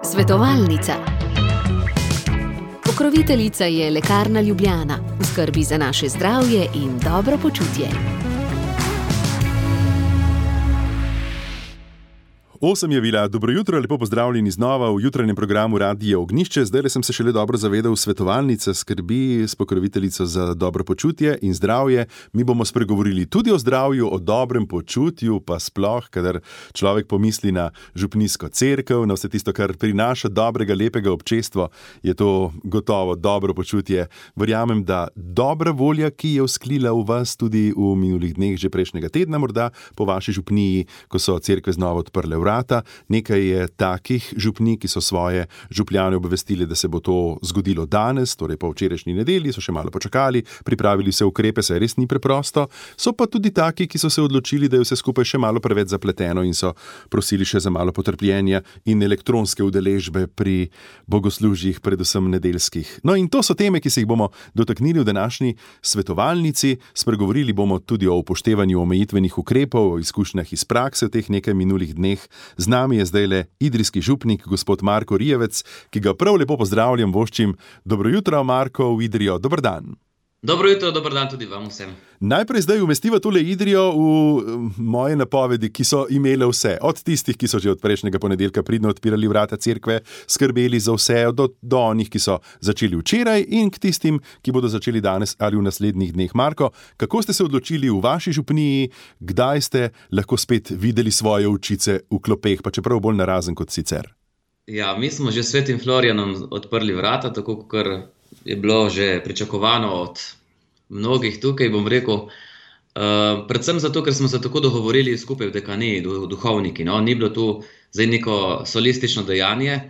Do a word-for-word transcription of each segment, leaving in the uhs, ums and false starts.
Svetovalnica. Pokroviteljica je Lekarna Ljubljana, v skrbi za naše zdravje in dobro počutje. Osem je bila, dobro jutro, lepo pozdravljeni znova v jutranjem programu Radija Ognjišče. Zdaj sem se šele dobro zavedal, svetovalnica skrbi s pokroviteljico za dobro počutje in zdravje. Mi bomo spregovorili tudi o zdravju, o dobrem počutju, pa sploh, kadar človek pomisli na župnijsko cerkev, na vse tisto, kar prinaša dobrega, lepega občestvo, je to gotovo dobro počutje. Verjamem, da dobra volja, ki je vzklila v vas tudi v minulih dneh, že prejšnjega tedna morda, po vaši župniji, ko so cerkve znova odprle vrata. Nekaj je takih župnij, ki so svoje župljane obvestili, da se bo to zgodilo danes, torej po včerajšnji nedelji, so še malo počakali, pripravili vse ukrepe, saj res ni preprosto. So pa tudi taki, ki so se odločili, da je vse skupaj še malo preveč zapleteno in so prosili še za malo potrpljenja in elektronske udeležbe pri bogoslužjih, predvsem nedeljskih. No in to so teme, ki se jih bomo dotaknili v današnji svetovalnici. Spregovorili bomo tudi o upoštevanju omejitvenih ukrepov, o izkušnjah iz prakse v teh nekaj minulih dneh. Z nami je zdaj le idrijski župnik, gospod Marko Rijevec, ki ga prav lepo pozdravljam, voščim. Dobro jutro, Marko, v Idrijo. Dober dan. Dobro jutro, dober dan tudi vam vsem. Najprej zdaj umestiva tole Idrijo v moje napovedi, ki so imele vse. Od tistih, ki so že od prejšnjega ponedeljka pridno odpirali vrata cerkve, skrbeli za vse, do, do onih, ki so začeli včeraj in k tistim, ki bodo začeli danes ali v naslednjih dneh. Marko, kako ste se odločili v vaši župniji, kdaj ste lahko spet videli svoje očice v klopeh, pa čeprav bolj narazen kot sicer? Ja, mi smo že s Svetim Florijanom odprli vrata, tako kot je bilo že pričakovano od mnogih tukaj, bom rekel, uh, predvsem zato, ker smo se tako dogovorili skupaj v dekaniji, duhovniki, no, ni bilo tu zdaj neko solistično dejanje,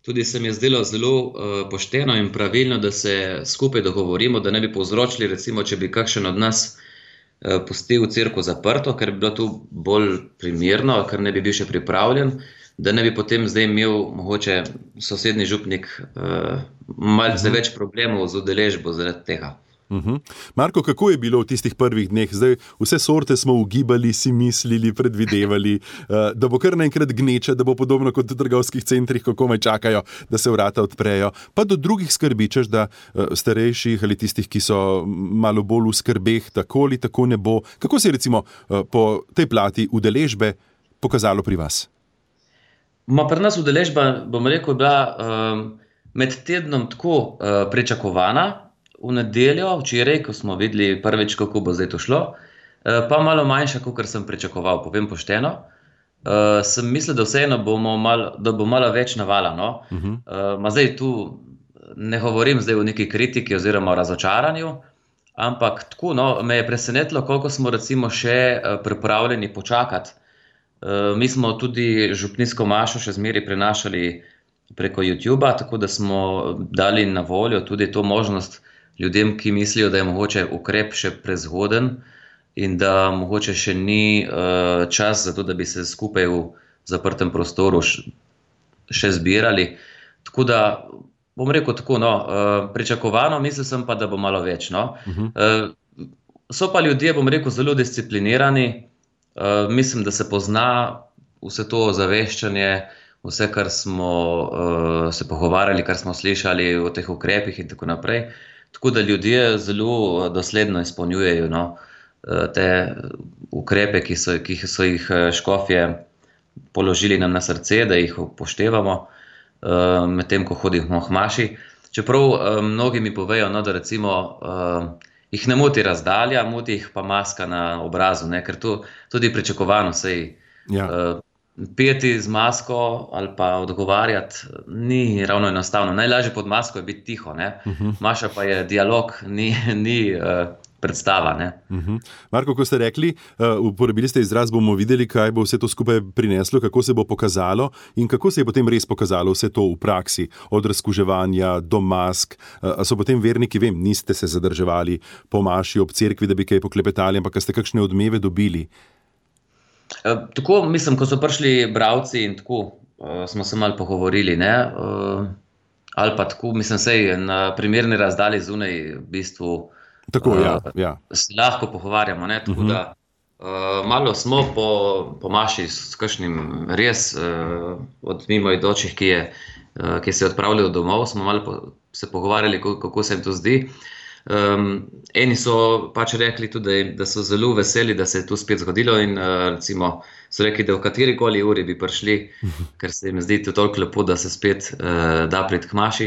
tudi se mi je zdelo zelo uh, pošteno in pravilno, da se skupaj dogovorimo, da ne bi povzročili, recimo, če bi kakšen od nas uh, pustil cerkev zaprto, ker bi bilo tu bolj primerno, ker ne bi bil še pripravljen, da ne bi potem zdaj imel mogoče sosednji župnik uh, malce uh-huh. več problemov z udeležbo zaradi tega. Uh-huh. Marko, kako je bilo v tistih prvih dneh? Zdaj vse sorte smo ugibali, si mislili, predvidevali, uh, da bo kar naenkrat gneča, da bo podobno kot v trgovskih centrih, ko komaj čakajo, da se vrata odprejo. Pa do drugih skrbičeš, da uh, starejših ali tistih, ki so malo bolj v skrbeh, tako ali tako ne bo. Kako se je recimo uh, po tej plati udeležbe pokazalo pri vas? Ma pri nas udeležba, bom rekel, bila um, med tednom tako uh, pričakovana, v nedeljo, včeraj, ko smo videli prvič, kako bo zdaj to šlo, uh, pa malo manjša, kot sem pričakoval, povem pošteno. Uh, sem mislil, da vseeno bomo malo, da bo malo več navala. No? Uh-huh. Uh, ma zdaj tu ne govorim zdaj o neki kritiki oziroma o razočaranju, ampak tako, no, me je presenetilo, koliko smo recimo še uh, pripravljeni počakati. Uh, mi smo tudi župnijsko mašo še zmeraj prenašali preko YouTubea, tako da smo dali na voljo tudi to možnost ljudem, ki mislijo, da je mogoče ukrep še prezgoden in da mogoče še ni uh, čas za to, da bi se skupaj v zaprtem prostoru š, še zbirali. Tako da, bom rekel tako, no, uh, pričakovano, mislil sem pa, da bo malo več. No. Uh-huh. Uh, so pa ljudje, bom rekel, zelo disciplinirani. Uh, mislim, da se pozna vse to zaveščanje, vse, kar smo uh, se pogovarjali, kar smo slišali o teh ukrepih in tako naprej. Tako da ljudje zelo dosledno izpolnjujejo, no, te ukrepe, ki so, ki so jih škofje položili nam na srce, da jih upoštevamo uh, med tem, ko hodimo v maši. Čeprav uh, mnogi mi povejo, no, da recimo uh, jih ne moti razdalja, moti jih pa maska na obrazu, ne, ker to tudi pričakovano, sej ja. uh, peti z masko ali pa odgovarjati ni ravno enostavno. Najlažje pod masko je biti tiho, ne. Uh-huh. Maša pa je dialog, ni, ni uh, predstava, ne. Uh-huh. Marko, ko ste rekli, uh, uporabili ste izraz, bomo videli, kaj bo vse to skupaj prineslo, kako se bo pokazalo in kako se je potem res pokazalo vse to v praksi, od razkuževanja do mask. Uh, so potem verniki, vem, niste se zadrževali po maši ob cerkvi, da bi kaj poklepetali, ampak ste kakšne odmeve dobili? Uh, tako, mislim, ko so prišli bralci in tako, uh, smo se malo pogovorili, ne, uh, ali pa tako, mislim, sej na primerni razdalji zunaj v bistvu Tako, uh, ja, ja. se lahko pogovarjamo, ne, tako uh-huh. da Uh, malo smo po, po maši s kakšnim res uh, od mimoidočih, ki, je, uh, ki se je odpravljal domov, smo malo po, se pogovarjali, kako, kako se jim to zdi. Um, eni so pač rekli tudi, da so zelo veseli, da se je to spet zgodilo in uh, recimo so rekli, da v katerikoli uri bi prišli, ker se jim zdi to toliko lepo, da se spet uh, da priti k maši.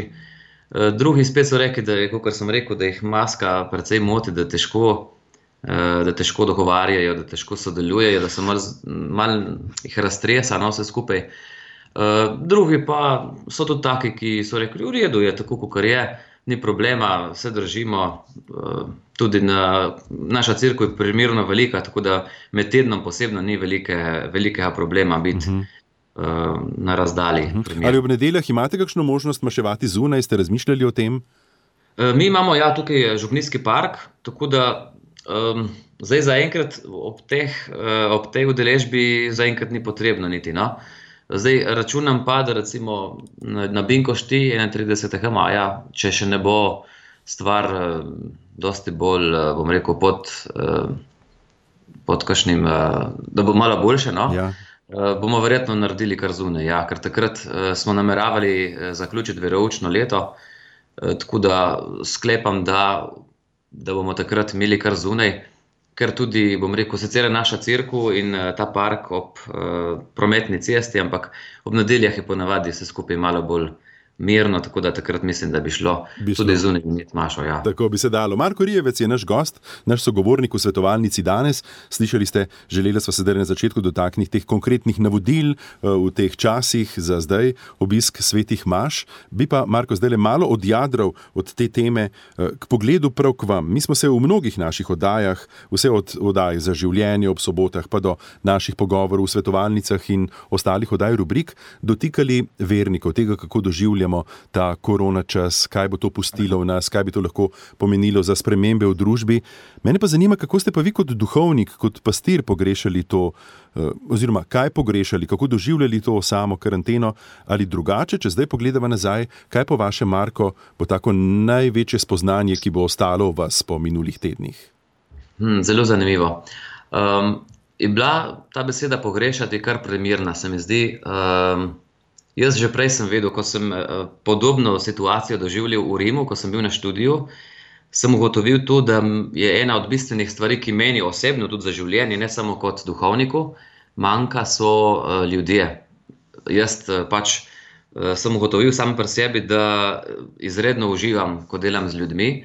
Uh, drugi spet so rekli, da je, kot sem rekel, da jih maska precej moti, da težko, uh, da težko dogovarjajo, da težko sodelujejo, da se malo mal jih raztresa, no, vse skupaj. Uh, drugi pa so tudi taki, ki so rekli, v redu je tako, kot je. Ni problema, vse držimo, tudi na, naša cerkev je primerno velika, tako da med tednom posebno ni velike, velikega problema biti uh -huh. na razdalji. Uh -huh. Ali ob nedeljah imate kakšno možnost maševati zunaj, ste razmišljali o tem? Mi imamo, ja, tukaj Župnijski park, tako da um, zdaj zaenkrat ob teh, ob tej udeležbi zaenkrat ni potrebno niti, no. Zdaj računam pa, da recimo na, na Binkošti enaintridesetega maja, če še ne bo stvar uh, dosti bolj, uh, bom rekel, pod, uh, pod kakšnim, uh, da bo malo boljše, no? Ja. Uh, bomo verjetno naredili kar zunaj, ja, ker takrat uh, smo nameravali uh, zaključiti veroučno leto, uh, tako da sklepam, da, da bomo takrat imeli kar zunaj. Ker tudi, bom rekel, sicer je naša cerkev in uh, ta park ob uh, prometni cesti, ampak ob nedeljah je ponavadi vse skupaj malo bolj mirno, tako da takrat mislim, da bi šlo bi tudi zunaj imeti mašo. Ja. Tako bi se dalo. Marko Rijevec je naš gost, naš sogovornik v svetovalnici danes. Slišali ste, želeli smo se zdaj na začetku dotakniti teh konkretnih navodil uh, v teh časih za zdaj, obisk svetih maš. Bi pa, Marko, zdaj le malo odjadral od te teme uh, k pogledu prav k vam. Mi smo se v mnogih naših oddajah, vse od oddaj za življenje ob sobotah, pa do naših pogovorov v svetovalnicah in ostalih oddaj rubrik, dotikali vernikov, tega, kako doživljamo ta korona čas, kaj bo to pustilo v nas, kaj bi to lahko pomenilo za spremembe v družbi. Mene pa zanima, kako ste pa vi kot duhovnik, kot pastir pogrešali to, oziroma kaj pogrešali, kako doživljali to samo karanteno ali drugače, če zdaj pogledava nazaj, kaj po vašem, Marko, bo tako največje spoznanje, ki bo ostalo v vas po minulih tednih? Hmm, zelo zanimivo. Um, je bila ta beseda pogrešati kar primerna, se mi zdi. Um, Jaz že prej sem vedel, ko sem podobno situacijo doživljal v Rimu, ko sem bil na študiju, sem ugotovil to, da je ena od bistvenih stvari, ki meni osebno, tudi za življenje, ne samo kot duhovniku, manjka, so ljudje. Jaz pač sem ugotovil sam pri sebi, da izredno uživam, ko delam z ljudmi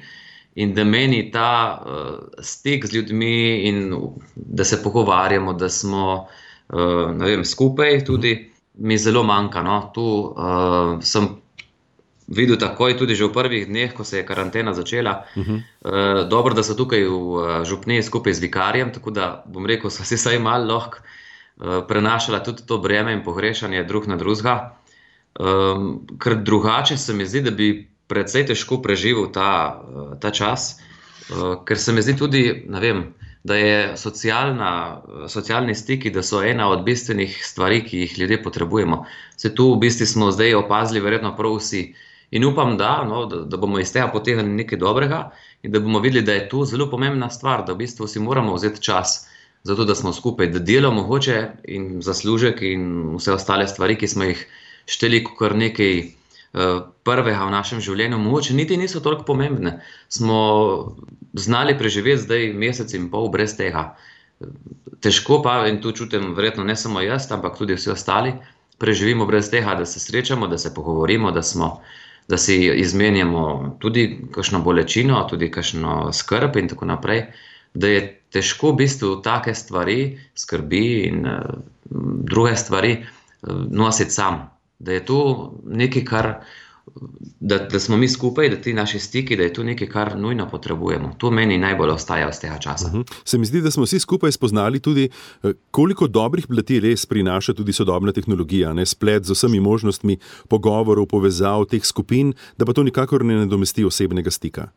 in da meni ta stik z ljudmi in da se pogovarjamo, da smo, ne vem, skupaj tudi, mi zelo manjka. No. Tu uh, sem videl takoj, tudi že v prvih dneh, ko se je karantena začela. Uh -huh. uh, dobro, da so tukaj v uh, Župniji skupaj z vikarjem, tako da bom rekel, so se vsaj malo lahko uh, prenašala tudi to breme in pogrešanje drug na drugega. Um, ker drugače se mi zdi, da bi precej težko preživel ta, uh, ta čas, uh, ker se mi zdi tudi, ne vem, da je socialna, socialni stiki, da so ena od bistvenih stvari, ki jih ljudje potrebujemo. Se tu v bistvu smo zdaj opazili verjetno prav vsi. In upam, da, no, da, da bomo iz tega potegnili nekaj dobrega in da bomo videli, da je to zelo pomembna stvar, da v bistvu si moramo vzeti čas za to, da smo skupaj, da delo mogoče in zaslužek in vse ostale stvari, ki smo jih šteli kar nekaj uh, prvega v našem življenju, mogoče niti niso toliko pomembne. Smo znali preživeti zdaj mesec in pol brez tega. Težko pa, in tu čutim verjetno ne samo jaz, ampak tudi vsi ostali, preživimo brez tega, da se srečamo, da se pogovorimo, da, smo, da si izmenjamo tudi kakšno bolečino, tudi kakšno skrb in tako naprej, da je težko v bistvu take stvari, skrbi in uh, druge stvari uh, nositi sam. Da je to nekaj, kar Da, da smo mi skupaj, da ti naši stiki, da je to nekaj, kar nujno potrebujemo. To meni najbolj ostaja iz tega časa. Uh-huh. Se mi zdi, da smo vsi skupaj spoznali tudi, koliko dobrih plati res prinaša tudi sodobna tehnologija, ne? Splet z vsemi možnostmi pogovorov, povezav teh skupin, da pa to nikakor ne nadomesti osebnega stika.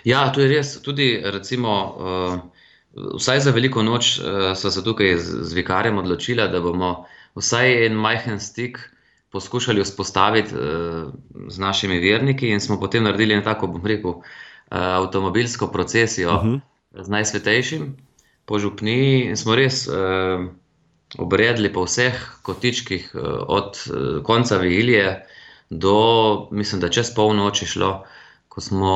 Ja, to je res. Tudi recimo, uh, vsaj za veliko noč uh, so se tukaj z, z vikarjem odločila, da bomo vsaj en majhen stik poskušali vzpostaviti uh, z našimi verniki in smo potem naredili tako, bom rekel, uh, avtomobilsko procesijo uh-huh. z Najsvetejšim. po župniji in smo res uh, obredli po vseh kotičkih uh, od uh, konca vigilije do, mislim, da čez polnoči šlo, ko smo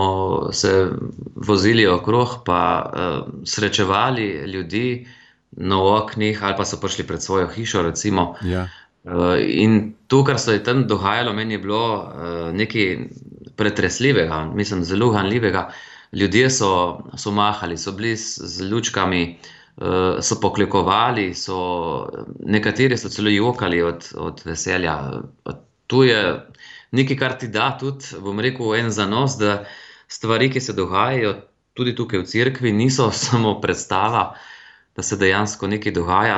se vozili okrog, pa uh, srečevali ljudi na oknih ali pa so prišli pred svojo hišo, recimo. Ja. Uh, in to, kar se je tam dogajalo, meni je bilo uh, nekaj pretresljivega, mislim, zelo ganljivega. Ljudje so, so mahali, so bili z lučkami, uh, so poklikovali, so, nekateri so celo jokali od, od veselja. To je nekaj, kar ti da tudi, bom rekel, en zanos, da stvari, ki se dogajajo tudi tukaj v cerkvi, niso samo predstava, da se dejansko nekaj dogaja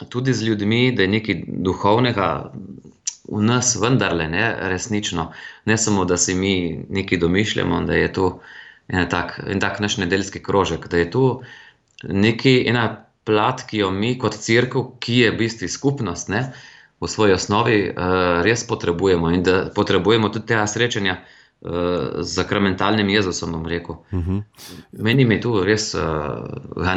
tudi z ljudmi, da je nekaj duhovnega v nas vendarle, ne, resnično. Ne samo, da si mi nekaj domišljamo, da je to en tak, en tak naš nedeljski krožek, da je to nekaj, ena plat, ki jo mi kot cerkev, ki je v bistvu skupnost, ne, v svoji osnovi uh, res potrebujemo in da potrebujemo tudi tega srečanja uh, z zakramentalnim Jezusom, bom rekel. Uh-huh. Meni mi je to res uh,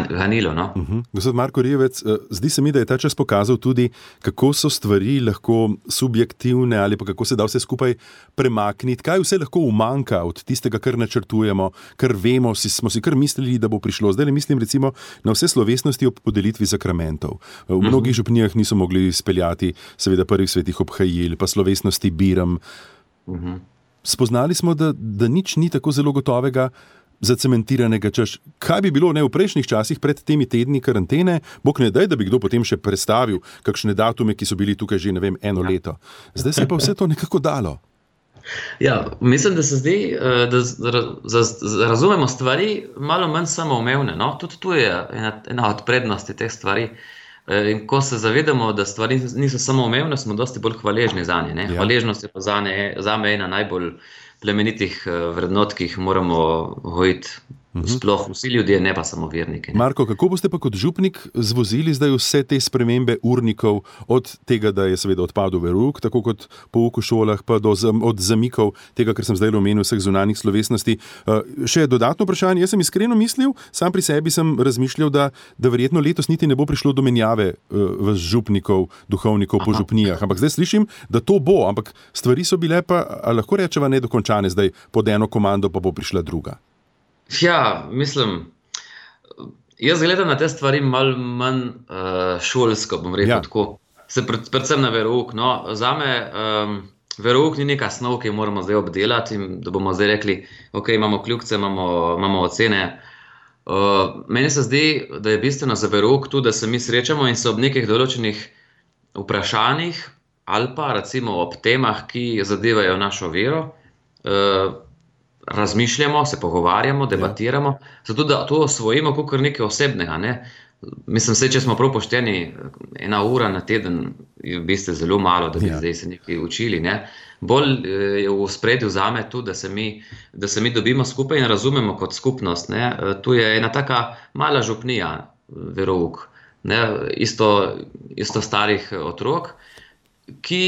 ganilo. No? Uh-huh. Gospod Marko Rjevec, uh, zdi se mi, da je ta čas pokazal tudi, kako so stvari lahko subjektivne ali pa kako se da vse skupaj premakniti, kaj vse lahko umanjka od tistega, kar načrtujemo, kar vemo, si, smo si kar mislili, da bo prišlo. Zdaj le mislim recimo na vse slovesnosti ob podelitvi sakramentov. V uh-huh. mnogih župnijah niso mogli speljati seveda prvih svetih obhajil, pa slovesnosti biram. Uh-huh. Spoznali smo, da, da nič ni tako zelo gotovega, zacementiranega, češ, kaj bi bilo ne v prejšnjih časih pred temi tedni karantene, bog ne daj, da bi kdo potem še prestavil kakšne datume, ki so bili tukaj že, ne vem, eno leto. Zdaj se pa vse to nekako dalo. Ja, mislim, da se zdi, da razumemo stvari malo manj samoumevne. No? Tudi tu je ena, ena od prednosti teh stvari. In ko se zavedamo, da stvari niso samoumevne, smo dosti bolj hvaležni za nje. Ne? Ja. Hvaležnost je pa za, ne, za me ena najbolj plemenitih vrednot, ki jih moramo gojiti. Sploh vsi ljudje, ne pa samo verniki. Ne? Marko, kako boste pa kot župnik zvozili zdaj vse te spremembe urnikov, od tega, da je seveda odpadel verouk, tako kot pouk v šolah, pa do od zamikov tega, kar sem zdaj omenil, vseh zunanjih slovesnosti. Uh, še dodatno vprašanje, jaz sem iskreno mislil, sam pri sebi sem razmišljal, da, da verjetno letos niti ne bo prišlo do menjave uh, v župnikov, duhovnikov po župnijah, ampak zdaj slišim, da to bo, ampak stvari so bile pa, lahko rečeva, nedokončane, zdaj pod eno komando pa bo prišla druga. Ja, mislim, jaz gledam na te stvari malo manj uh, šolsko, bom rekel, ja. Tako. Se pred, predvsem na verouk. No, zame um, verouk ni neka snov, ki jo moramo zdaj obdelati in da bomo zdaj rekli, ok, imamo kljukce, imamo, imamo ocene. Uh, meni se zdi, da je bistveno za verouk tu, da se mi srečamo in se ob nekih določenih vprašanjih ali pa recimo ob temah, ki zadevajo našo vero, uh, razmišljamo, se pogovarjamo, debatiramo, ja. Zato da to osvojimo kot nekaj osebnega. Ne? Mislim, se, če smo prav pošteni, ena ura na teden je v bistvu zelo malo, da bi ja. Zdaj se nekaj učili. Ne? Bolj je v spredju zame tu, da se, mi, da se mi dobimo skupaj in razumemo kot skupnost. Ne? Tu je ena taka mala župnija, verouk, ne? Isto, isto starih otrok, ki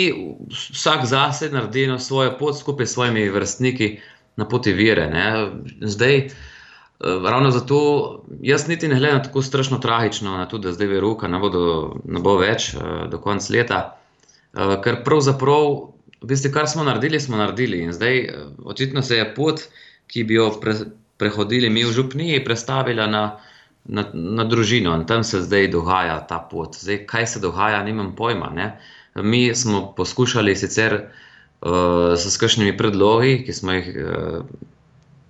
vsak zase naredi svojo pot skupaj s svojimi vrstniki, na poti vire. Ne. Zdaj, ravno zato, jaz niti ne gledam tako strašno tragično na to, da zdaj verouka ne bo, do, ne bo več do konca leta, ker pravzaprav, v bistvu, kar smo naredili, smo naredili. In zdaj, očitno se je pot, ki bi jo pre, prehodili mi v župniji, prestavila na, na, na družino. In tam se zdaj dogaja ta pot. Zdaj, kaj se dogaja, nimam pojma. Ne. Mi smo poskušali sicer Uh, s kakšnimi predlogi, ki smo jih uh,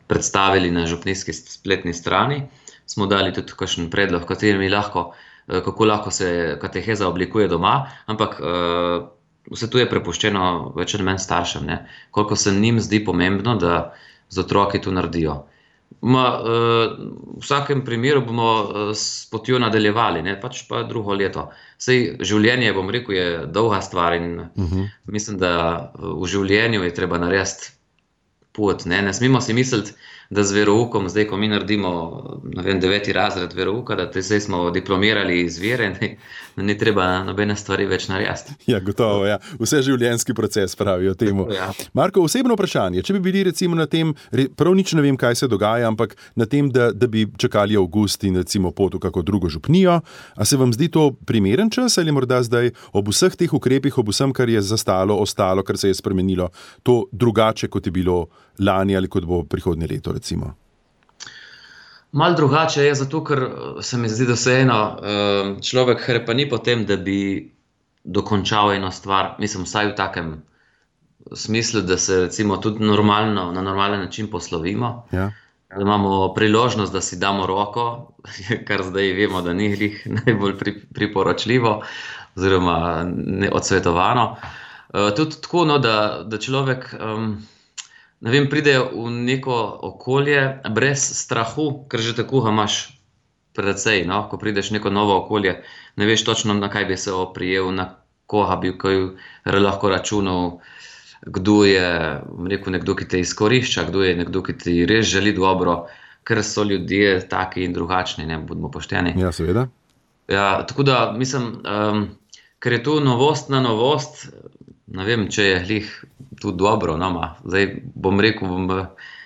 predstavili na župnijski spletni strani, smo dali tudi kakšen predlog, katerimi lahko, uh, kako lahko se kateheza oblikuje doma, ampak uh, vse to je prepuščeno več ali manj staršem, ne? Koliko se njim zdi pomembno, da z otroki to naredijo. Ma, uh, v vsakem primeru bomo uh, s potjo nadaljevali, ne? Pač pa drugo leto. Sej življenje, bom rekel, je dolga stvar in uh-huh. mislim, da v življenju je treba narediti pot. Ne? Ne smemo si misliti, da z veroukom, zdaj, ko mi naredimo, ne vem, deveti razred verouka, da te zdaj smo diplomirali iz vere, ne, da ni treba nobene stvari več narediti. Ja, gotovo, ja. Vse življenjski proces pravijo temu. Ja. Marko, osebno vprašanje, če bi bili recimo na tem, prav nič ne vem, kaj se dogaja, ampak na tem, da, da bi čakali avgust in recimo pot v kako drugo župnijo, a se vam zdi to primeren čas ali morda zdaj ob vseh teh ukrepih, ob vsem, kar je zastalo, ostalo, kar se je spremenilo, to drugače, kot je bilo lani ali kot bo prihodnje leto, recimo? Mal drugače je zato, ker se mi zdi, da vseeno človek hrepani po tem, da bi dokončal eno stvar, mislim, vsaj v takem smislu, da se recimo tudi normalno, na normalen način poslovimo. Ja. Da imamo priložnost, da si damo roko, kar zdaj vemo, da ni glih najbolj priporočljivo oziroma odsvetovano. Tudi tako, no, da, da človek um, ne vem, pride v neko okolje brez strahu, ker že tako ga imaš precej, no? Ko prideš v neko novo okolje, ne veš točno, na kaj bi se oprijel, na koga bi kaj lahko računal, kdo je rekel, nekdo, ki te izkorišča, kdo je nekdo, ki ti res želi dobro, ker so ljudje taki in drugačni, ne budemo pošteni. Ja, seveda. Ja, tako da, mislim, um, ker je to novost na novost, ne vem, če je glih tu dobro, no, ma. Zdaj bom rekel, bom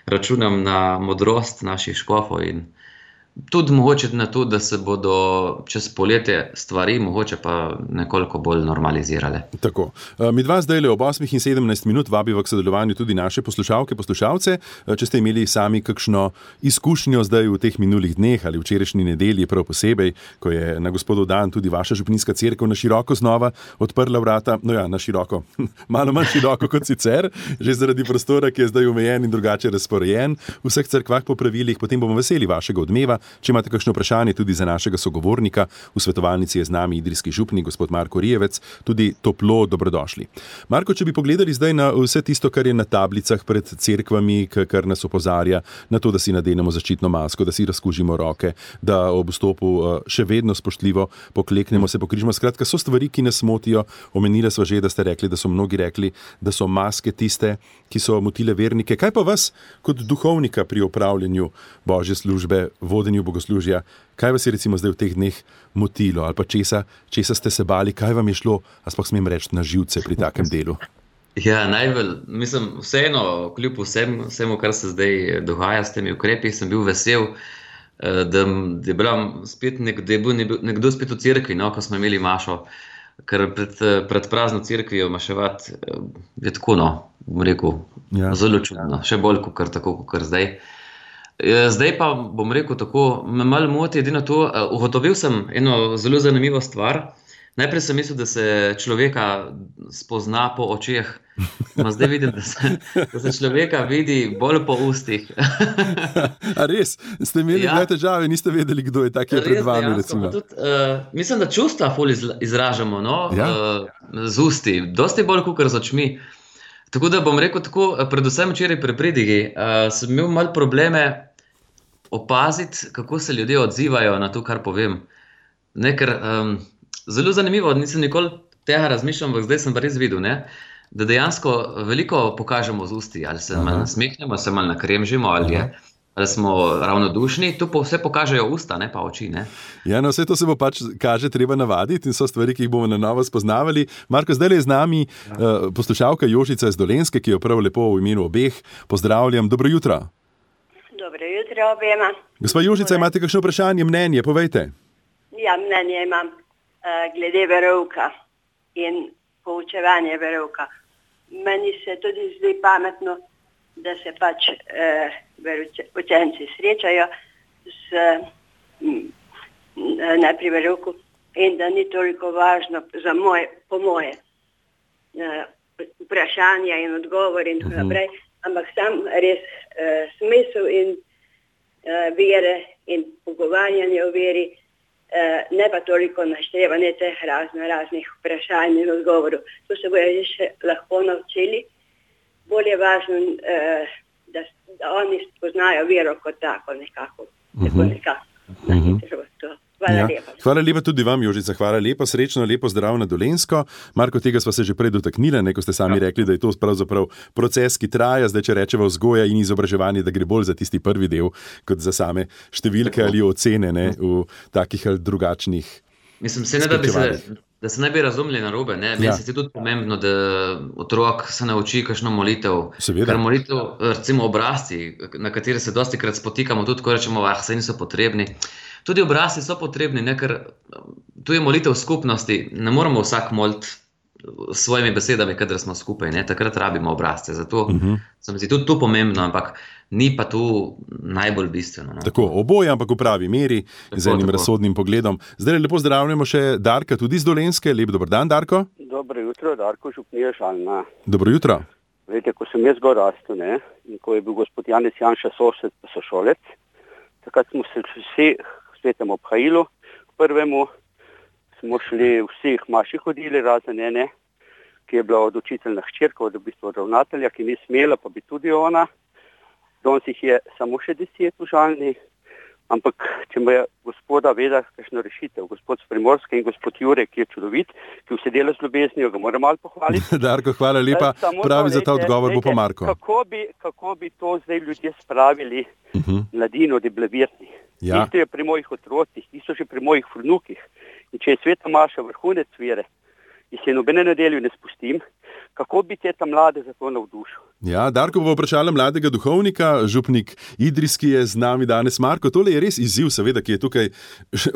računam na modrost naših škofov in tudi mogoče na to, da se bodo čez poletje stvari mogoče pa nekoliko bolj normalizirale. Tako. Mi dva zdaj le ob osmih in sedemnajst minut vabiva k sodelovanju tudi naše poslušalke, poslušalce. Če ste imeli sami kakšno izkušnjo zdaj v teh minulih dneh ali včerajšnji nedelji prav posebej, ko je na Gospodov dan tudi vaša župnijska cerkev na široko znova odprla vrata, no ja, na široko, malo manj široko kot sicer, že zaradi prostora, ki je zdaj omejen in drugače razporejen v vseh cerkvah po pravilih, potem bomo veseli vašega odmeva. Če imate kakšno vprašanje tudi za našega sogovornika, v svetovalnici je z nami idrijski župnik, gospod Marko Rijevec, tudi toplo dobrodošli. Marko, če bi pogledali zdaj na vse tisto, kar je na tablicah pred cerkvami, kar nas opozarja na to, da si nadenemo zaščitno masko, da si razkužimo roke, da ob vstopu še vedno spoštljivo pokleknemo, se pokrižimo. Skratka, so stvari, ki nas motijo. Omenili sva že, da ste rekli, da so mnogi rekli, da so maske tiste, ki so motile vernike. Kaj pa vas kot duhovnika pri opravljanju božje službe, vodenju bogoslužja, kaj vas je recimo zdaj v teh dneh motilo ali pa česa, česa ste se bali, kaj vam je šlo, a sploh smem reči, na živce pri takem delu? Ja, najbolj, mislim, vseeno, kljub vsem, vsemu, kar se zdaj dogaja s temi ukrepi, sem bil vesel, da je bila spet nek, da je bil nekdo spet v cerkvi, no, ko smo imeli mašo, ker pred, pred prazno cerkvijo maševati je tako, no, bom rekel, ja. Zelo čudno, še bolj kot tako, kot zdaj. Zdaj pa bom rekel tako, me malo moti edino to, ugotovil sem eno zelo zanimivo stvar. Najprej sem mislil, da se človeka spozna po očeh, no zdaj vidim, da se, da se človeka vidi bolj po ustih. A res? Ste imeli ja. težave, niste vedeli, kdo je tak je pred vami, res, recimo? Tudi, uh, mislim, da čustva ful izražamo, no, ja. uh, z usti, dosti bolj kakor z očmi. Tako da bom rekel tako, predvsem včeraj pri pridigi, uh, sem imel malo probleme opaziti, kako se ljudje odzivajo na to, kar povem. Ne, ker um, zelo zanimivo, nisem nikoli tega razmišljal, ampak zdaj sem pa res videl, ne, da dejansko veliko pokažemo z usti, ali se malo nasmehnemo, se malo nakremžimo, ali, je, ali smo ravnodušni, to pa vse pokažejo usta, ne pa oči. Ne. Ja, no, vse to se bo pač, kaže, treba navaditi in so stvari, ki jih bomo na novo spoznavali. Marko, zdaj je z nami ja. uh, poslušalka Jožica iz Dolenjske, ki jo prav lepo v imenu obeh pozdravljam. Dobro jutro. Dobro jutro obema. Gospa Jožica, imate kakšno vprašanje, mnenje, povejte. Ja, mnenje imam uh, glede verouka in poučevanje verouka. Meni se tudi zdi pametno, da se pač uh, učenci srečajo s, m, na pri verouku in da ni toliko važno za moje, po moje uh, vprašanja in odgovor in tako naprej, ampak sam res uh, smisel in uh, vere in pogovarjanje o veri, uh, ne pa toliko naštevanje teh razno raznih vprašanj in odgovorov. To se bojo še lahko naučili. Bolje važno, uh, da, da oni spoznajo vero kot tako nekako. Uh-huh. Tako nekako. Uh-huh. Hvala Ja. lepa. Hvala lepa tudi vam, Jožica. Hvala lepa, srečno, lepo zdrav na Dolenjsko. Marko, tega sva se že prej dotaknili, ne, ko ste sami ja. rekli, da je to pravzaprav proces, ki traja, zdaj če rečeva vzgoja in izobraževanje, da gre bolj za tisti prvi del, kot za same številke ali ocene, ne, v takih ali drugačnih. Mislim, se ne da bi se, da se ne bi razumeli narobe, ne. Meni ja. se je tudi pomembno, da otrok se nauči kakšno molitev. Seveda. Ker molitev, recimo obrazci, na katere se dostikrat spotikamo, tudi ko rečemo, ah, saj niso potrebni. Tudi obrazci so potrebni, ne, ker tu je molitev skupnosti, ne moramo vsak moliti s svojimi besedami, kadar smo skupaj, ne, takrat rabimo obrazce. Zato uh-huh. sem si tudi tu pomembno, ampak ni pa tu najbolj bistveno. No. Tako, oboje, ampak v pravi meri, tako, z enim tako. razsodnim pogledom. Zdaj lepo zdravljamo še Darka, tudi iz Dolenjske. Lep dober dan, Darko. Dobro jutro, Darko Župnija Žalna. Dobro jutro. Veste, ko sem jaz gor rastel, ne, in ko je bil gospod Janez Janša sosed pa sošolec, takrat smo se vsi svetem obhajilu, prvemu smo šli vsi maši hodili, razen ene, ki je bila od učiteljna hčerka, od v bistvu od ravnatelja, ki ni smela, pa bi tudi ona. Danes jih je samo še deset v Žalni, ampak če me je gospoda veda kakšno rešitev, gospod z Primorske in gospod Jure, ki je čudovit, ki vse dela z ljubeznijo, ga moram malo pohvaliti. Darko, hvala lepa, pravi za ta odgovor bo pa Marko. Kako bi, kako bi to zdaj ljudje spravili uh-huh. mladino, da je blavirni? Ja. Isto je pri mojih otrocih, isto še pri mojih vnukih. In če je sveta Maša vrhunec vere, in se nobene nedelju ne spustim, kako bi te ta mlade za to navdušil? Ja, Darko bo vprašala mladega duhovnika, župnik Idrijski je z nami danes. Marko, tole je res izziv, seveda, ki je tukaj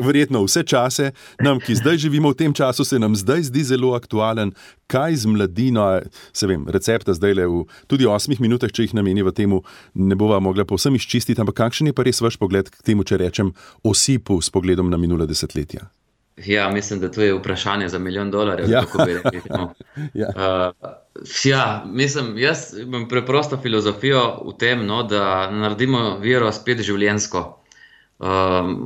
verjetno vse čase. Nam, ki zdaj živimo v tem času, se nam zdaj zdi zelo aktualen. Kaj z mladino, se vem, recepta zdaj le v tudi osmih minutah, če jih nameniva temu, ne bova mogla povsem izčistiti, ampak kakšen je pa res vaš pogled k temu, če rečem, osipu s pogledom na minule desetletja? Ja, mislim, da to je vprašanje za milijon dolarjev, ja. kako bi rekli. No. ja. Uh, ja, mislim, jaz imam preprosto filozofijo v tem, no, da naredimo vero spet življenjsko. Um,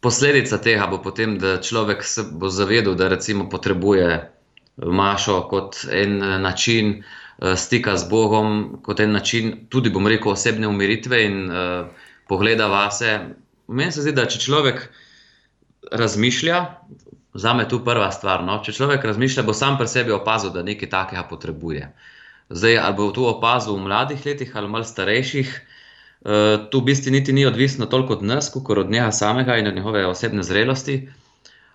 posledica tega bo potem, da človek se bo zavedal, da recimo potrebuje mašo kot en način uh, stika z Bogom, kot en način tudi, bom rekel, osebne umiritve in uh, pogleda vase. Meni se zdi, da če človek razmišlja, zame tu prva stvar, no? Če človek razmišlja, bo sam pri sebi opazil, da nekaj takega potrebuje. Zdaj, ali bo to opazil v mladih letih ali malo starejših, uh, tu v bistvu niti ni odvisno toliko od nas, kot od njega samega in od njegove osebne zrelosti.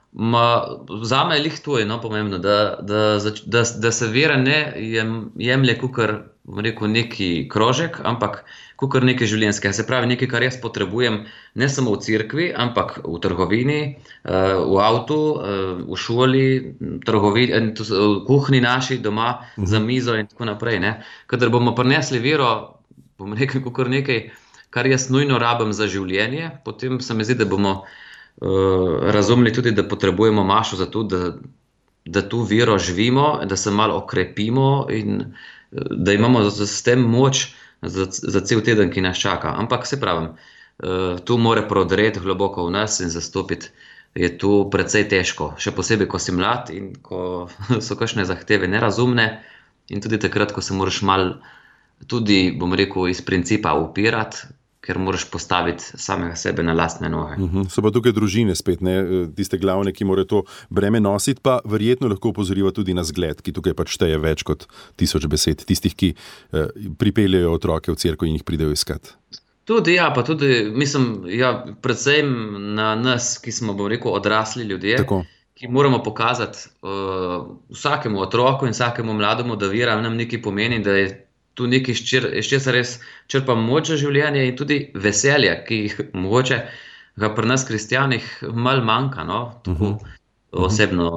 Ma, zame je lih to je no, pomembno, da, da, da, da se vera ne jem, jemlje kukor, bom rekel, neki krožek, ampak kukor nekaj življenjskega. Se pravi, nekaj, kar jaz potrebujem ne samo v cerkvi, ampak v trgovini, v avtu, v šoli, trgovini, v kuhinji naši doma, za mizo in tako naprej. Ne. Kadar bomo prinesli vero, bom rekel, kukor nekaj, kar jaz nujno rabim za življenje, potem se mi zdi, da bomo Uh, razumeli tudi, da potrebujemo mašo za to, da, da tu vero živimo, da se malo okrepimo in uh, da imamo z, z tem moč za, za cel teden, ki nas čaka. Ampak se pravim, uh, tu mora prodreti globoko v nas in zastopiti je tu precej težko. Še posebej, ko si mlad in ko so kakšne zahteve nerazumne in tudi takrat, ko se moraš malo tudi, bom rekel, iz principa upirati, ker moraš postaviti samega sebe na lastne noge. Uh-huh. So pa tukaj družine spet, ne? Tiste glavne, ki morajo to breme nositi, pa verjetno lahko upozoriva tudi na zgled, ki tukaj pač šteje več kot tisoč besed, tistih, ki eh, pripeljejo otroke v cerkev in jih pridejo iskat. Tudi, ja, pa tudi, mislim, ja, predvsem na nas, ki smo, bom rekel, odrasli ljudje, Tako. ki moramo pokazati uh, vsakemu otroku in vsakemu mlademu, da vera nam nekaj pomeni, da je tu nekaj, iz česa res črpam moč za življenje in tudi veselje, ki jih mogoče ga pri nas kristjanih malo manjka, no, tako uh-huh. osebno,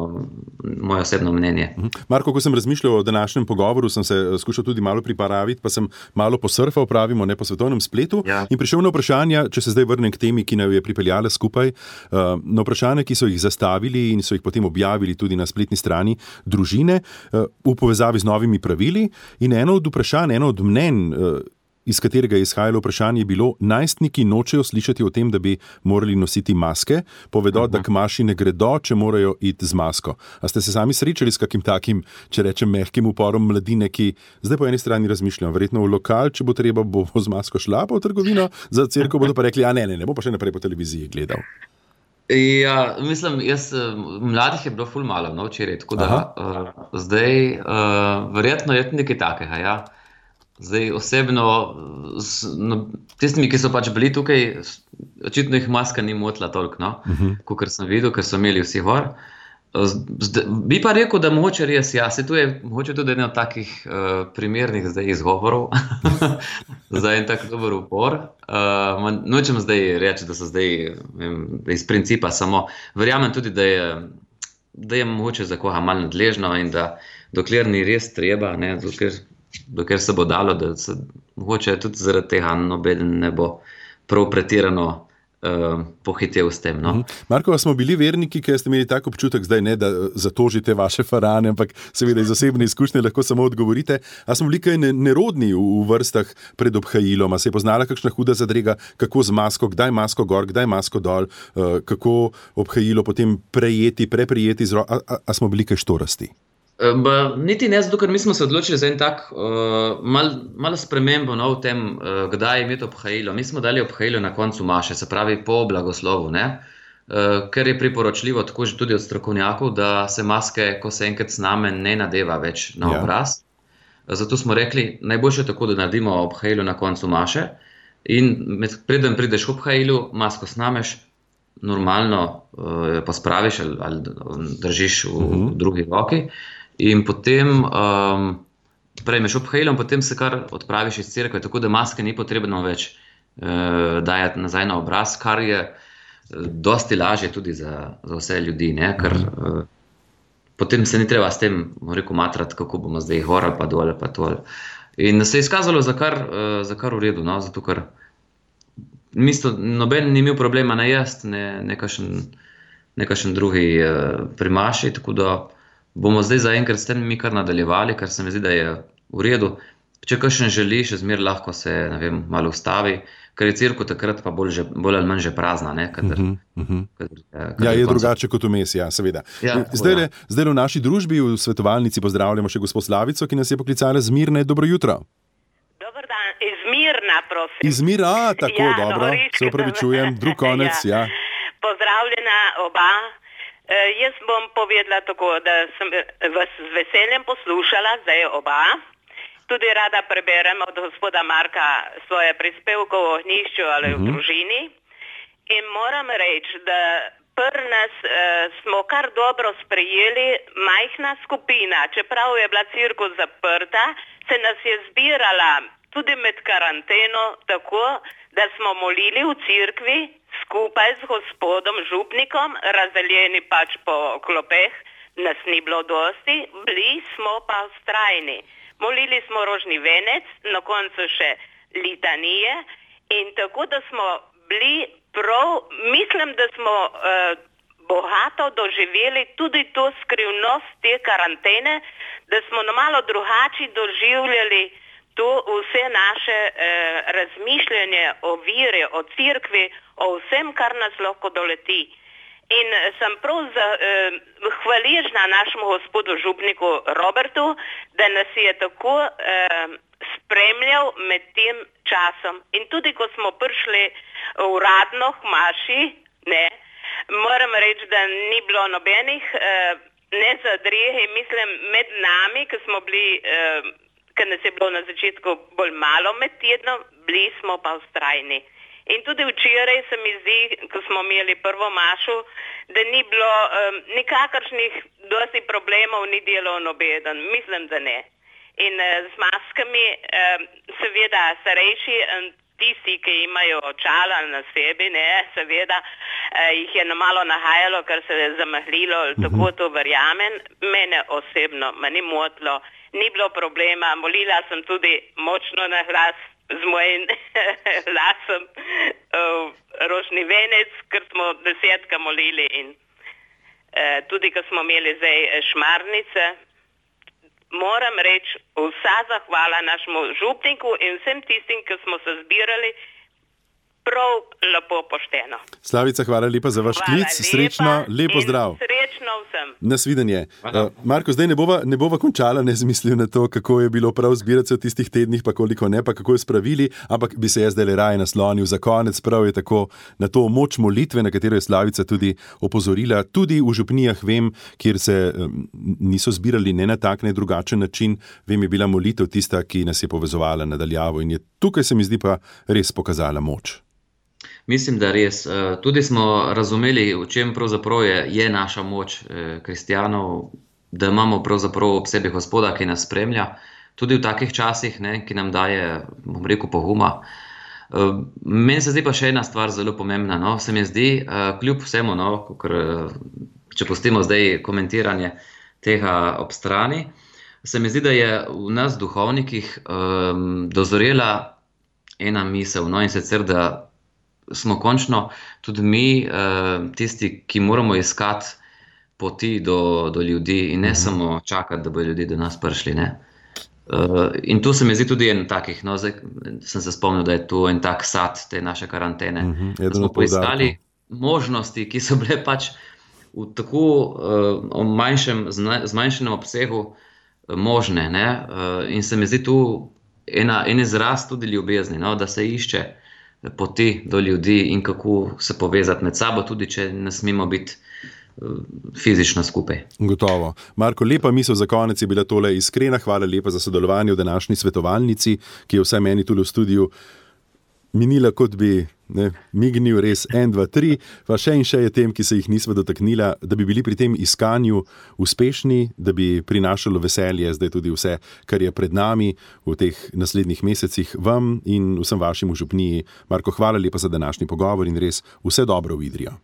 moje osebno mnenje. Uh-huh. Marko, ko sem razmišljal o današnjem pogovoru, sem se skušal tudi malo pripraviti, pa sem malo posurfal, pravimo, ne po svetovnem spletu ja. in prišel na vprašanja, če se zdaj vrnem k temi, ki naj je pripeljala skupaj, uh, na vprašanja, ki so jih zastavili in so jih potem objavili tudi na spletni strani družine uh, v povezavi z novimi pravili in eno od vprašanj, eno od mnenj, uh, iz katerega je izhajalo vprašanje, je bilo, najstniki nočejo slišati o tem, da bi morali nositi maske, povedo, uh-huh. da k maši ne gredo, če morajo iti z masko. A ste se sami srečali s kakim takim, če rečem, mehkim uporom mladine, ki zdaj po eni strani razmišljajo, verjetno v lokal, če bo treba, bo z masko šla pa v trgovino, za cerkev bodo pa rekli, a ne, ne, ne bo pa še naprej po televiziji gledal. Ja, mislim, jaz, mladih je bilo ful malo, no, včeraj, tako da uh, zdaj uh, verjetno je nekaj takega, ja. Zdaj osebno, no, tistimi, ki so pač bili tukaj, očitno jih maska ni motila toliko, no, uh-huh. Kakor sem videl, ker so imeli vsi gor. Zdaj, bi pa rekel, da mogoče res, ja, se tu je mogoče tudi eno takih uh, primernih zdaj izgovorov, za en tak dober upor. Uh, nočem zdaj reči, da so zdaj vem, iz principa samo, verjamem tudi, da je, da je mogoče za koga malo nadležno in da dokler ni res treba, ne, dokler, dokler se bo dalo, da se mogoče tudi zaradi tega nobeden ne bo prav pretirano Uh, pohitev s tem. No? Marko, smo bili verniki, ki ste imeli tak občutek zdaj, ne, da zatožite vaše farane, ampak seveda iz osebne izkušnje lahko samo odgovorite. A smo bili kaj nerodni v, v vrstah pred obhajilom? A se je poznala kakšna huda zadrega, kako z masko, kdaj masko gor, kdaj masko dol, uh, kako obhajilo potem prejeti, preprijeti, a, a, a smo bili kaj štorasti? Ba, niti ne zato, ker mi smo se odločili za en tak uh, mal, malo spremembo no, v tem, uh, kdaj imeti obhajilo. Mi smo dali obhajilo na koncu maše, se pravi po blagoslovu, ne? Uh, ker je priporočljivo tako že tudi od strokovnjakov, da se maske, ko se enkrat sname, ne nadeva več na obraz. Ja. Zato smo rekli, najboljše tako, da naredimo obhajilo na koncu maše in med, preden prideš v obhajilu, masko snameš, normalno uh, pa spraviš ali, ali držiš v, uh-huh. v drugi roki. In potem um, prejmeš obhajilo in potem se kar odpraviš iz cerkve, tako da maske ni potrebno več uh, dajati nazaj na obraz, kar je dosti lažje tudi za, za vse ljudi, ne? Ker uh, potem se ni treba s tem, rekel, matrati, kako bomo zdaj gor ali pa dol ali pa tol. In se je izkazalo za kar, uh, za kar v redu, no? Zato ker misto, noben ni imel problema ne jesti, ne, nekašen, nekašen drugi uh, primaši, tako da bomo zdaj zaenkrat s tem mi kar nadaljevali, kar se mi zdi, da je v redu. Če kakšen želi, še zmer lahko se, ne vem, malo ustavi, ker je cerkev takrat pa bolj, že, bolj ali manj že prazna, ne? Kadar, uh-huh, uh-huh. Kadar, kadar ja, je drugače kot vmes, ja, seveda. Ja, zdaj, le, zdaj le v naši družbi, v svetovalnici pozdravljamo še gospod Slavico, ki nas je poklicala z Mirne. Dobro jutro. Dobar dan, iz Mirna, prosim. Iz Mirna, tako, ja, dobro, se opravičujem, drug konec, ja. ja. Pozdravljena oba. E, jaz bom povedala tako, da sem vas z veseljem poslušala, zdaj oba. Tudi rada preberem od gospoda Marka svoje prispevke o ognjišču ali uh-huh. v družini. In moram reči, da pri nas e, smo kar dobro sprejeli majhna skupina, čeprav je bila cerkev zaprta, se nas je zbirala tudi med karanteno tako, da smo molili v cerkvi skupaj z gospodom župnikom, razdeljeni pač po klopeh, nas ni bilo dosti, bili smo pa vztrajni. Molili smo rožni venec, na koncu še litanije in tako, da smo bili prav, mislim, da smo uh, bogato doživeli tudi to skrivnost te karantene, da smo na malo drugače doživljali to vse naše eh, razmišljanje o viri, o cerkvi, o vsem, kar nas lahko doleti. In sem prav za, eh, hvaležna našemu gospodu župniku Robertu, da nas je tako eh, spremljal med tem časom. In tudi, ko smo prišli uradno k maši, ne, moram reči, da ni bilo nobenih eh, ne zadrih, mislim, med nami, ki smo bili eh, ker nas je bilo na začetku bolj malo med tednom, bili smo pa vztrajni. In tudi včeraj se mi zdi, ko smo imeli prvo mašo, da ni bilo um, nikakršnih dosti problemov, ni delal nobeden. Mislim, da ne. In uh, z maskami, um, seveda starejši, um, tisti, ki imajo očala na sebi, ne, seveda uh, jih je na malo nahajalo, ker se je zamahlilo, mm-hmm. tako to verjamem. Mene osebno, me ni motilo. Ni bilo problema, molila sem tudi močno na glas z mojim glasom, uh, rožni venec, ker smo desetka molili in uh, tudi, ko smo imeli zdaj šmarnice. Moram reči, vsa zahvala našemu župniku in vsem tistim, ki smo se zbirali, prav lepo pošteno. Slavica, hvala lepa za vaš klic, srečno, lepo zdrav. Srečno vsem. Nasvidenje. Uh, Marko, zdaj ne bova, ne bova končala, ne zmislil na to, kako je bilo prav zbirati se v tistih tednih, pa koliko ne, pa kako je spravili, ampak bi se jaz zdaj le raje naslonil za konec, prav je tako na to moč molitve, na katero je Slavica tudi opozorila. Tudi v župnijah vem, kjer se um, niso zbirali ne na tak, ne drugačen način, vem, je bila molitev tista, ki nas je povezovala nadaljavo in je tukaj se mi zdi pa res pokazala moč. Mislim, da res. Tudi smo razumeli, v čem pravzaprav je, je naša moč kristjanov, da imamo pravzaprav ob sebi Gospoda, ki nas spremlja, tudi v takih časih, ne, ki nam daje, bom rekel, poguma. Meni se zdi pa še ena stvar zelo pomembna. No. Se mi zdi, kljub vsemu, no, kakor, če pustimo zdaj komentiranje tega ob strani, se mi zdi, da je v nas duhovnikih um, dozorela ena misel, no, in sicer, da smo končno tudi mi uh, tisti, ki moramo iskati poti do, do ljudi in ne uh-huh. samo čakati, da bodo ljudi do nas prišli. Ne? Uh, in tu se mi zdi tudi en takih, no, zdaj sem se spomnil, da je tu en tak sad te naše karantene. Uh-huh. Da smo poiskali možnosti, ki so bile pač v tako uh, manjšem, zmanjšenem obsegu uh, možne. Ne? Uh, in se mi zdi tu ena, en izraz tudi ljubezni, no, da se išče poti do ljudi in kako se povezati med sabo, tudi če ne smemo biti fizično skupaj. Gotovo. Marko, lepa misel za konec je bila tole iskrena. Hvala lepa za sodelovanje v današnji svetovalnici, ki je vsaj meni tule v studiu minila, kot bi ne, mignil res en, dva, tri, pa še in še je tem, ki se jih nisva dotaknila, da bi bili pri tem iskanju uspešni, da bi prinašalo veselje zdaj tudi vse, kar je pred nami v teh naslednjih mesecih vam in vsem vašim v župniji. Marko, hvala lepa za današnji pogovor in res vse dobro v Idrijo.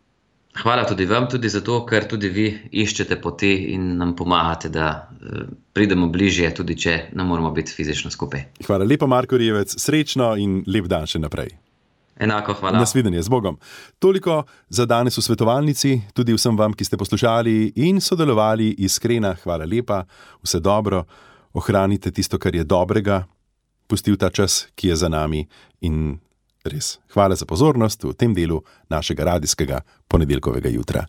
Hvala tudi vam, tudi zato, ker tudi vi iščete poti in nam pomagate, da pridemo bližje, tudi če ne moramo biti fizično skupaj. Hvala lepa, Marko Rjevec, srečno in lep dan še naprej. Enako, hvala. Nasvidenje, z Bogom. Toliko za danes v svetovalnici, tudi vsem vam, ki ste poslušali in sodelovali, iskrena, hvala lepa, vse dobro, ohranite tisto, kar je dobrega, pustil ta čas, ki je za nami in res. Hvala za pozornost v tem delu našega radijskega ponedeljkovega jutra.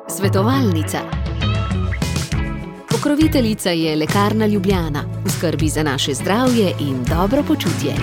Svetovalnica. Pokroviteljica je Lekarna Ljubljana. V skrbi za naše zdravje in dobro počutje.